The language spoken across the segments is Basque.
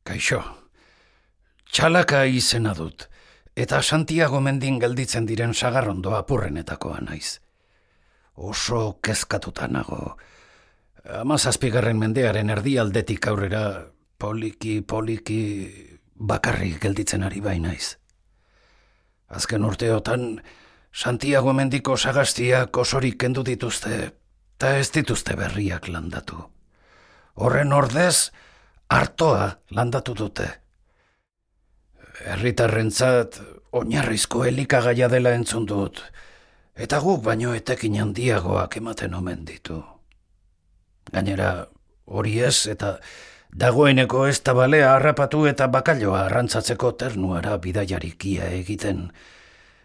Kaixo, Txalaka izena dut, eta Santiago mendin gelditzen diren sagarrondo apurrenetakoa naiz. Oso kezkatuta nago. 17. mendearen erdialdetik aurrera poliki bakarrik gelditzen ari bainaiz. Azken urteotan Santiago mendiko sagastiak osorik kendu dituzte, eta ez dituzte berriak landatu. Horren ordez, artoa landatu dute. Herritarrentzat oinarrizko elikagaia dela entzun dut, eta guk baino etekin handiagoak ematen omen ditu. Gainera, hori ez, eta dagoeneko ez da balea harrapatu eta bakailoa arrantzatzeko ternuara bidaiarikia egiten,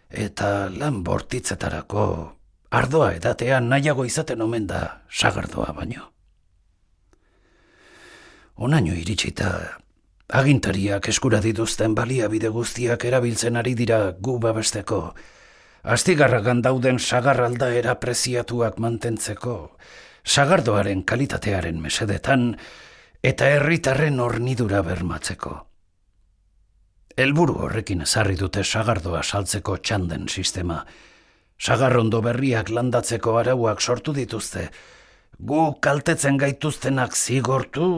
eta lan bortitzetarako ardoa edatean nahiago izaten omen da sagardoa baino. Onaino iritsita, agintariak eskura dituzten baliabide guztiak erabiltzen ari dira gu babesteko, astigarragan dauden sagar aldaera preziatuak mantentzeko, sagardoaren kalitatearen mesedetan eta herritarren hornidura bermatzeko. Helburu horrekin ezarri dute sagardoa saltzeko txanden sistema. Sagarrondo berriak landatzeko arauak sortu dituzte, gu kaltetzen gaituztenak zigortu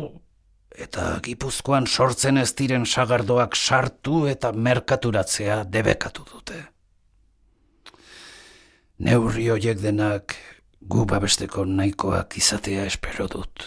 eta Gipuzkoan sortzen ez diren sagardoak sartu eta merkaturatzea debekatu dute. Neurri horiek denak gu babesteko nahikoak izatea espero dut.